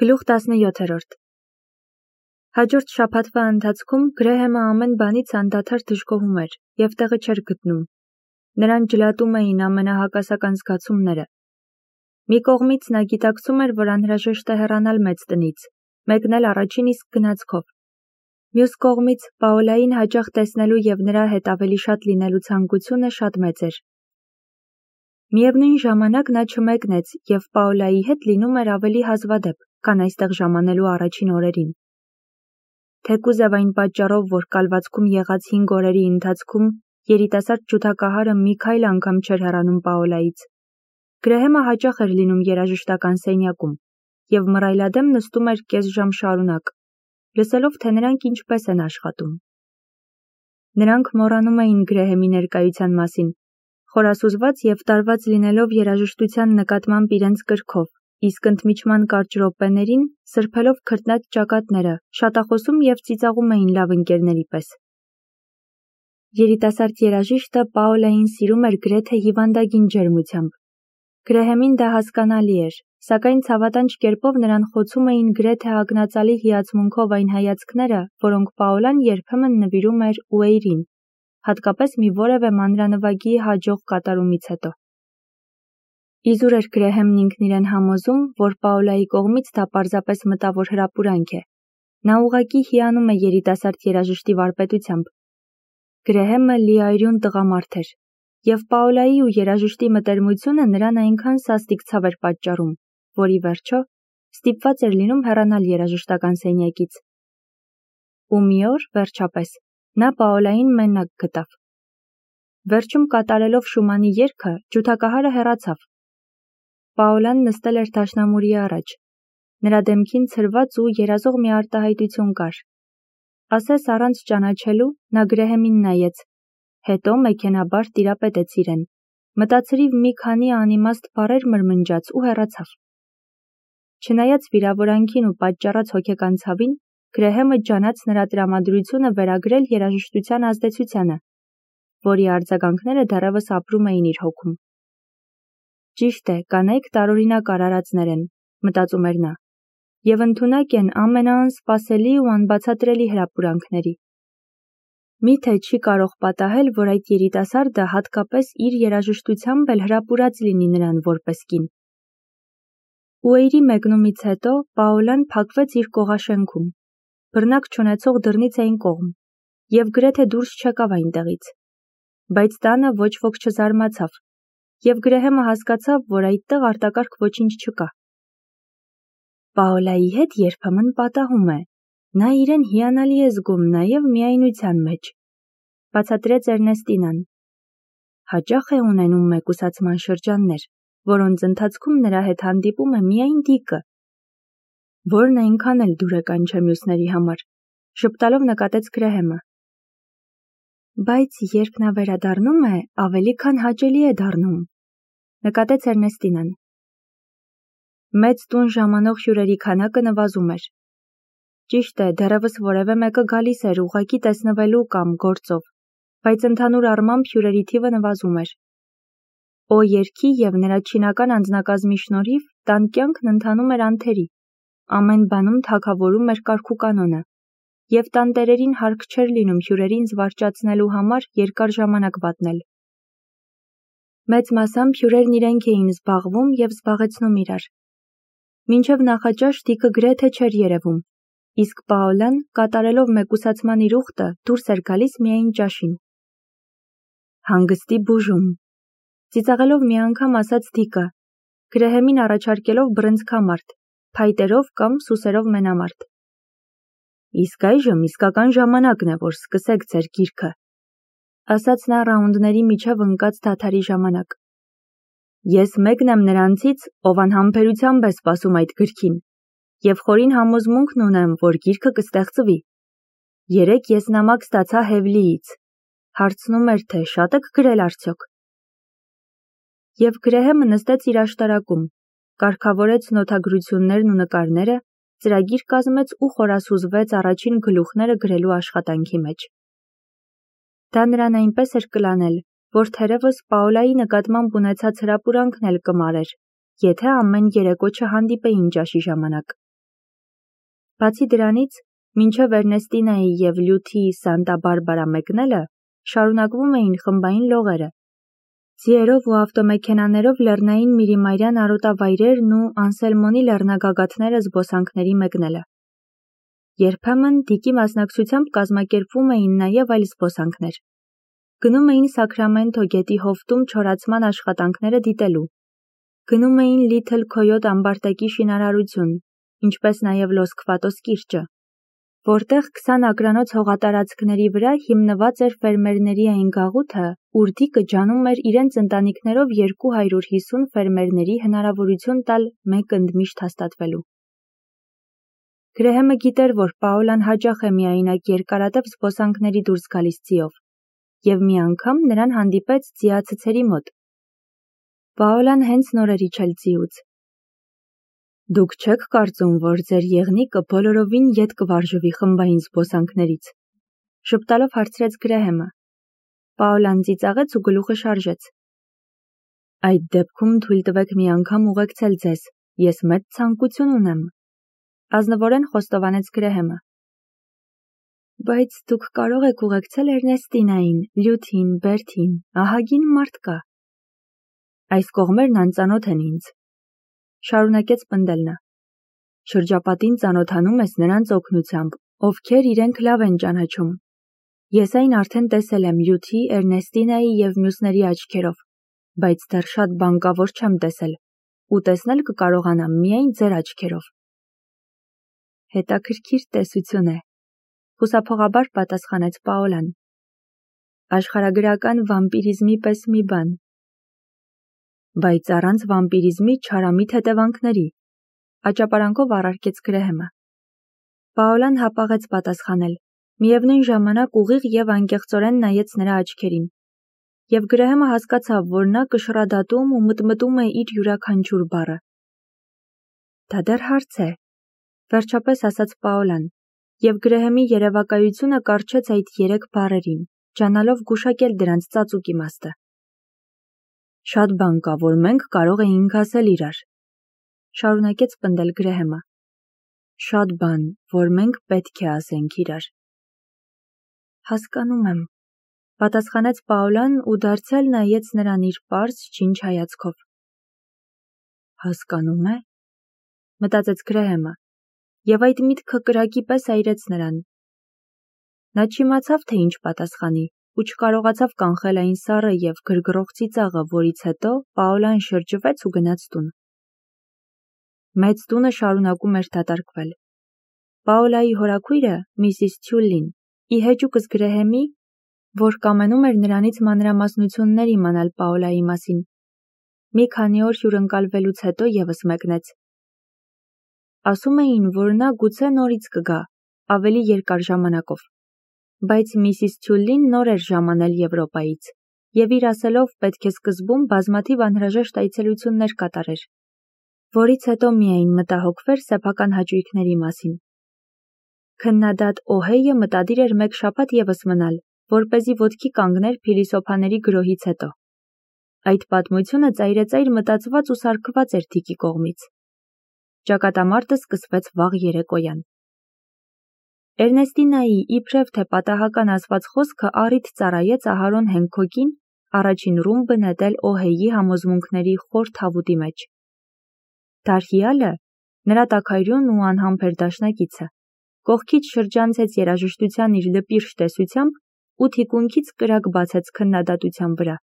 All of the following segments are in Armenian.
Գլուխ 17 Հաջորդ շաբաթվա ընթացքում Գրեհեմը ամեն բանից անդադար դժգոհում էր և տեղը չէր գտնում. նրան ջլատում էին ամենահակասական զգացումները։ Մի կողմից նա գիտակցում էր, որ անհրաժեշտ է հեռանալ մեծ տնից, մեկնել առաջին իսկ գնացքով։ Մյուս կողմից Պաոլային հաճախ տեսնելու և նրա հետ ավելի շատ լինելու ցանկությունը շատ մեծ էր։ Միևնույն ժամանակ նա չմեկնեց և Պաոլայի հետ լինում էր ավելի հազվադեպ, քան այստեղ ժամանելու առաջին օրերին։ Թեկուզև այն պատճառով, որ կալվածքում եղած 5 օրերի ընթացքում երիտասարդ ջութակահարը մի քայլ անգամ չէր հեռանում Պաոլայից, Գրեհեմը հաճախ էր լինում երաժշտական սենյակում և մռայլադեմ նստում էր կես ժամ շարունակ, լսելով, թե նրանք ինչպես են աշխատում։ Նրանք մոռանում էին Գրեհեմի ներկայության մասին, խորասուզված և տարված լինելով երաժշտության նկատմամբ իրենց կրքով, իսկ ընդմիջման կարճ րոպեներին սրբելով քրտնած ճակատները, շատախոսում և ծիծաղում էին լավ ընկերների պես։ Երիտասարդ երաժիշտը Պաոլային սիրում էր գրեթե հիվանդագին ջերմությամբ։ Գրեհեմին դա հասկանալի էր, սակայն ցավատանջ կերպով նրան խոցում էին գրեթե ակնածալի հիացմունքով այն հայացքները, որոնք Պաոլան երբեմն նվիրում էր Ուեյրին, հատկապես մի որևէ մանրանվագի հաջող կատարումից հետո։ Իզուր էր Գրեհեմն ինքն իրեն համոզում, որ Պաոլայի կողմից դա պարզապես մտավոր հրապուրանք է։ Նա ուղղակի հիանում է երիտասարդ երաժշտի վարպետությամբ։ Գրեհեմը լիարյուն տղամարդ էր, և Պաոլայի ու երաժշտի մտերմությունը նրան այնքան սաստիկ ցավ էր պատճառում, որ ի վերջո ստիպված էր լինում հեռանալ երաժշտական սենյակից։ Ու մի օր, վերջապես, նա Պաոլային մենակ գտավ։ Վերջում կատարելով Շումանի երգը, ջութակահարը հեռացավ։ Պաոլան նստել էր դաշնամուրի առաջ։ Նրա դեմքին ցրված ու երազող մի արտահայտություն կար։ Ասես առանց ճանաչելու նա Գրեհեմին նայեց, հետո մեքենաբար տիրապետեց իրեն, մտածրիվ մի քանի անիմաստ բառեր մրմնջաց ու հեռացավ։ Չնայած վիրավորանքին ու պատճառած հոգեկան ցավին, Գրեհեմը ջանաց նրա տրամադրությունը վերագրել երաժշտության ազդեցությանը, որի արձագանքները դեռևս ապրում էին իր հոգում։ Ճիշտ է, կանայք տարօրինակ արարածներ են, մտածում էր նա, և ընդունակ են ամենաանսպասելի ու անբացատրելի հրապուրանքների։ Մի՞թե չի կարող պատահել, որ այդ երիտասարդը հատկապես իր երաժշտությամբ էլ հրապուրած լինի նրան որպես կին։ Ուեյրի մեկնումից հետո Պաոլան փակվեց իր կողաշենքում, բռնակ չունեցող դռնից այն կողմ, և գրեթե դուրս չեկավ այնտեղից։ Բայց տանը ոչ ոք չզարմացավ, և Գրեհեմը հասկացավ, որ այդտեղ արտակարգ ոչինչ չկա։ Պաոլայի հետ երբեմն պատահում է, նա իրեն հիանալի է զգում նաև միայնության մեջ, բացատրեց Էրնեստինան։ Հաճախ է ունենում մեկուսացման շրջաններ, որոնց ընթացքում նրա հետ հանդիպում է միայն դիկը, որն այնքան էլ դուրեկան չէ մյուսների համար, ժպտալով նկատեց Գրեհեմը։ Բայց երբ նա վերադառնում է, ավելի քան հաճելի է դառնում, նկատեց Էրնեստինան։ Մեծ տուն ժամանող հյուրերի քանակը նվազում էր։ Ճիշտ է, դեռևս որևէ մեկը գալիս էր ուղղակի տեսնվելու կամ գործով, բայց ընդհանուր առմամբ հյուրերի թիվը նվազում էր։ Օ երգի և նրա չինական անձնակազմի շնորհիվ տան կյանքն ընթանում էր անթերի, ամեն բանում թագավորում էր կարգուկանոնը, և տանտերերին հարկ չէր լինում հյուրերին զվարճացնելու համար երկար ժամանակ վատնել։ Մեծ մասամբ հյուրերն իրենք էին զբաղվում և զբաղեցնում իրար։ Մինչև նախաճաշ դիկը գրեթե չէր երևում, իսկ Պաոլան, կատարելով մեկուսացման իր ուխտը, դուրս էր գալիս միայն ճաշին։ Հանգստի բուժում, ծիծաղելով մի անգամ ասաց դիկը, Գրեհեմին առաջարկելով բռնցքամարտ, փայտերով կամ սուսերով մենամարտ։ Իսկ այժմ իսկական ժամանակն է, որ սկսեք ձեր գիրքը, ասաց նա ռաունդների միջև ընկած դադարի ժամանակ։ Ես մեկն եմ նրանցից, ով անհամբերությամբ է սպասում այդ գրքին, և խորին համոզմունքն ունեմ, որ գիրքը կստեղծվի։ Երեկ ես նամակ ստացա Հևլիից, հարցնում էր, թե շատ եք գրել արդյոք։ Եվ Գրեհեմը նստեց իր աշտարակում, կարգավորեց նոթագրություններն ու նկարները, ծրագիր կազմեց ու խորասուզվեց առաջին գլուխները գրելու աշխատանքի մեջ։ Դա նրան այնպես էր կլանել, որ թերևս Պաոլայի նկատմամբ ունեցած հրապուրանքն էլ կմարեր, եթե ամեն երեկո չհանդիպեին ճաշի ժամանակ։ Բացի դրանից, մինչև Էրնեստինայի և Լյութի Սանտա Բարբարա մեկնելը, շարունակվում էին խմբային լողերը, ձիերով ու ավտոմեքենաներով լեռնային Միրիմայրյան արոտավայրերն ու Անսելմոնի լեռնագագաթները զբոսանքների մեկնելը։ Երբեմն դիկի մասնակցությամբ կազմակերպվում էին նաև այլ զբոսանքներ։ Գնում էին Սաքրամենթո գետի հովտում չորացման աշխատանքները դիտելու։ Գնում էին Լիթլ Քոյոտ ամբարտակի շինարարություն, ինչպես նաև Լոս Քվատոս կիրճը, որտեղ 20 ակրանոց հողատարածքների վրա հիմնված էր ֆերմերների այն գաղութը, ուր Դիկը ջանում էր իրենց ընտանիքներով 250 ֆերմերների հնարավորություն տալ մեկ ընդմիշտ հաստատվելու։ Գրեհեմը գիտեր, որ Պաոլան հաճախ է միայնակ երկարատև զբոսանքների դուրս գալիս ձիով, և մի անգամ նրան հանդիպեց ձիացցերի մոտ։ Պաոլան հենց նոր էր իջել ձիուց։ Դուք չեք կարծում, որ ձեր եղնիկը բոլորովին ետ կվարժվի խմբային զբոսանքներից, ժպտալով հարցրեց Գրեհեմը։ Պաոլան ծիծաղեց ու գլուխը շարժեց։ Այդ դեպքում թույլ տվեք մի անգամ ուղեկցել ձեզ, ես մեծ ցանկություն ունեմ, ազնվորեն խոստովանեց Գրեհեմը։ Բայց դուք կարող եք ուղեկցել Էրնեստինային, Լյութին, Բերթին, ահագին մարդ կա։ Այս կողմերն անծանոթ են ինձ, շարունակեց պնդել նա։ Շրջապատին ծանոթանում ես նրանց օգնությամբ, ովքեր իրենք լավ են ճանաչում։ Ես այն արդեն տեսել եմ Լյութի, Էրնեստինայի և մյուսների աչքերով, բայց դեռ շատ բան կա, որ չեմ տեսել, ու տեսնել կկարողանամ միայն ձեր աչքերով։ Հետաքրքիր տեսություն է, խուսափողաբար պատասխանեց Պաոլան։ Աշխարհագրական վամպիրիզմի պես մի բան։ Բայց առանց վամպիրիզմի չարամիտ հետևանքների, աճապարանքով առարկեց Գրեհեմը։ Պաոլան հապաղեց պատասխանել, միևնույն ժամանակ ուղիղ և անկեղծորեն նայեց նրա աչքերին, և Գրեհեմը հասկացավ, որ նա կշռադատում ու մտմտում է իր յուրաքանչյուր բառը։ Դա դեռ հարց է, վերջապես ասաց Պաոլան, և Գրեհեմի երևակայությունը կառչեց այդ 3 բառերին, ջանալով գուշակել դրանց ծածուկ իմաստը։ Շատ բան կա, որ մենք կարող էինք ասել իրար, շարունակեց պնդել Գրեհեմը։ Շատ բան, որ մենք պետք է ասենք իրար։ Հասկանում եմ, պատասխանեց Պաոլան ու դարձյալ նայեց նրան իր պարզ չինչ հայացքով։ Հասկանում է, մտածեց Գրեհեմը, և այդ միտքը կրակի պես այրեց նրան։ Նա չիմացավ, թե ինչ պատասխանի, ու չկարողացավ կանխել այն սառը և գրգռող ծիծաղը, որից հետո Պաոլան շրջվեց ու գնաց տուն։ Մեծ տունը շարունակում էր դատարկվել։ Պաոլայի հորաքույրը, Միսիս Թյուլլին, ի հեճուկս Գրեհեմի, որ կամենում էր նրանից մանրամասնություններ իմանալ Պաոլայի մասին, մի քանի օր հյուրընկալվելուց հետո ևս մեկնեց։ Ասում էին, որ նա գուցե նորից կգա, ավելի երկար ժամանակով, բայց Միսիս Թյուլլին նոր էր ժամանել Եվրոպայից, և իր ասելով պետք է սկզբում բազմաթիվ անհրաժեշտ այցելություններ կատարեր, որից հետո միայն մտահոգվեր սեփական հաճույքների մասին։ Քննադատ Օհեյը մտադիր էր 1 շաբաթ ևս մնալ, որպեսզի ոտքի կանգներ փիլիսոփաների գրոհից հետո։ Այդ պատմությունը ծայրեծայր մտածված ու սարքված էր Դիկի կողմից։ Ճակատամարտը սկսվեց վաղ երեկոյան։ Էրնեստինայի իբրև թե պատահական ասված խոսքը առիթ ծառայեց Ահարոն Հենքոկին առաջին ռումբը նետել Օհեյի համոզմունքների խոր թավուտի մեջ։ Դարհիալը, նրա տաքայրուն ու անհամբեր դաշնակիցը, կողքից շրջանցեց երաժշտության իր լպիրշ տեսությամբ ու թիկունքից կրակ բացեց քննադատության վրա։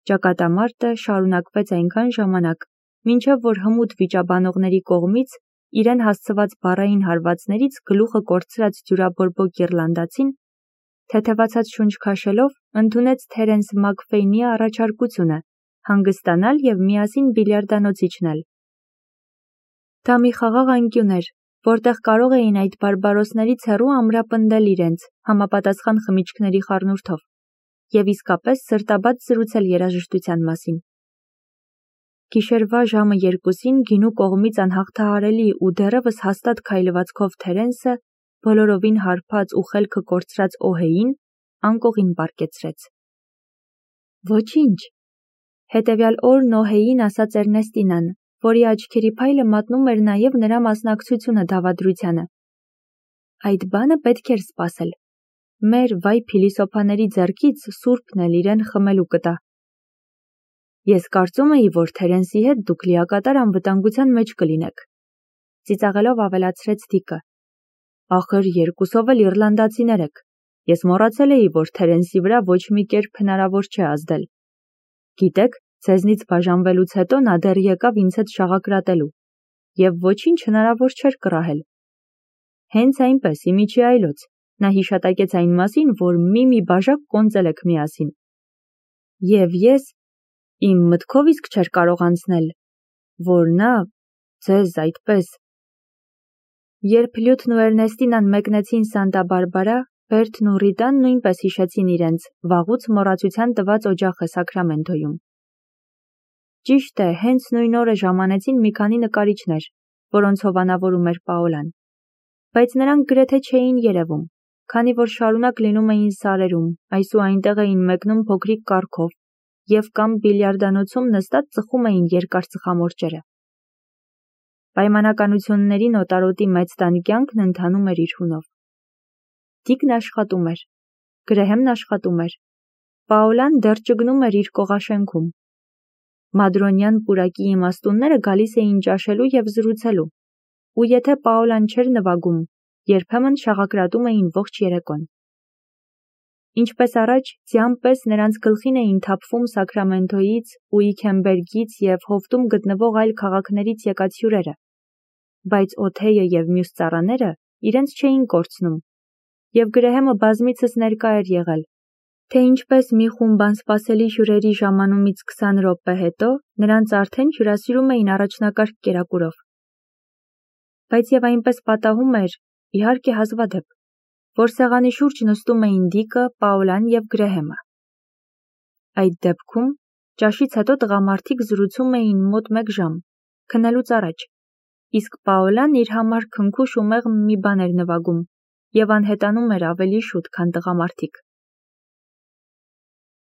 Ճակատամարտը շարունակվեց այնքան ժամանակ, մինչև որ հմուտ վիճաբանողների կողմից իրեն հասցված բառային հարվածներից գլուխը կորցրած դյուրաբորբոք իռլանդացին, թեթևացած շունչ քաշելով, ընդունեց Թերենս Մաքֆեյնի առաջարկությունը հանգստանալ և միասին բիլիարդանոց իջնել։ Դա մի խաղաղ անկյուն էր, որտեղ կարող էին այդ բարբարոսներից հեռու ամրապնդել իրենց համապատասխան խմիչքների խառնուրդով և իսկապես սրտաբաց զրուցել երաժշտության մասին։ Գիշերվա ժամը 2-ին գինու կողմից անհաղթահարելի ու դեռևս հաստատ քայլվածքով Թերենսը բոլորովին հարբած ու խելքը կորցրած Օհեյին անկողին պառկեցրեց։ Ոչինչ, հետևյալ օրն Օհեյին ասաց Էրնեստինան, որի աչքերի փայլը մատնում էր նաև նրա մասնակցությունը դավադրությանը։ Այդ բանը պետք էր սպասել։ Մեր վայ փիլիսոփաների ձեռքից Սուրբն էլ իրեն խմելու կտա։ Ես կարծում էի, որ Թերենսի հետ դուք լիակատար անվտանգության մեջ կլինեք, ծիծաղելով ավելացրեց Դիկը։ Ախր երկուսով էլ իռլանդացիներ եք։ Ես մոռացել էի, որ Թերենսի վրա ոչ մի կերպ հնարավոր չէ ազդել։ Գիտեք, ձեզնից բաժանվելուց հետո նա դեռ եկավ ինձ հետ շաղակրատելու, և ոչինչ հնարավոր չէր կռահել։ Հենց այնպես, իմիջի այլոց, նա հիշատակեց այն մասին, որ մի բաժակ կոնծել եք միասին։ Եվ ես իմ մտքով իսկ չէր կարող անցնել, որ նա ձեզ այդպես։ Երբ Լյութն ու Էրնեստինան մեկնեցին Սանտա Բարբարա, Բերթն ու Ռիտան նույնպես հիշեցին իրենց վաղուց մոռացության տված օջախը Սակրամենտոյում։ Ճիշտ է, հենց նույն օրը ժամանեցին մի քանի նկարիչներ, որոնցով անավորում էր Պաոլան։ Բայց նրանք գրեթե չէին երևում, քանի որ շարունակ լինում էին սարերում, այս ու այնտեղ էին մեկնում փոքրիկ կառքով և կամ բիլիարդանոցում նստած ծխում էին երկար ծխամորճերը։ Պայմանականությունների նոտարոտի մեծ տան կյանքն ընթանում էր իր հունով։ Դիկն աշխատում էր, Գրեհեմն աշխատում էր, Պաոլան դեռ ճգնում էր իր կողաշենքում։ Մադրոնյան պուրակի իմաստունները գալիս էին ճաշելու և զրուցելու, ու եթե Պաոլան չէր նվագում, երբեմն շաղակրատում էին ողջ երեկոն։ Ինչպես առաջ, ձյան պես նրանց գլխին էին թափվում Սակրամենտոյից, Ուիքենբերգից և հովտում գտնվող այլ քաղաքներից եկած հյուրերը, բայց Օթեյը և մյուս ծառաները իրենց չէին կորցնում, և Գրեհեմը բազմիցս ներկա էր եղել, թե ինչպես մի խումբ անսպասելի հյուրերի ժամանումից 20 րոպե հետո նրանց արդեն հյուրասիրում էին առաջնակարգ կերակուրով։ Բայց և այնպես պատահում էր, իհարկե հազվադեպ, որ սեղանի շուրջ նստում էին Դիկը, Պաոլան և Գրեհեմը։ Այդ դեպքում ճաշից հետո տղամարդիկ զրուցում էին մոտ 1 ժամ, քնելուց առաջ, իսկ Պաոլան իր համար քնքուշ ու մեղմ մի բան էր նվագում և անհետանում էր ավելի շուտ, քան տղամարդիկ։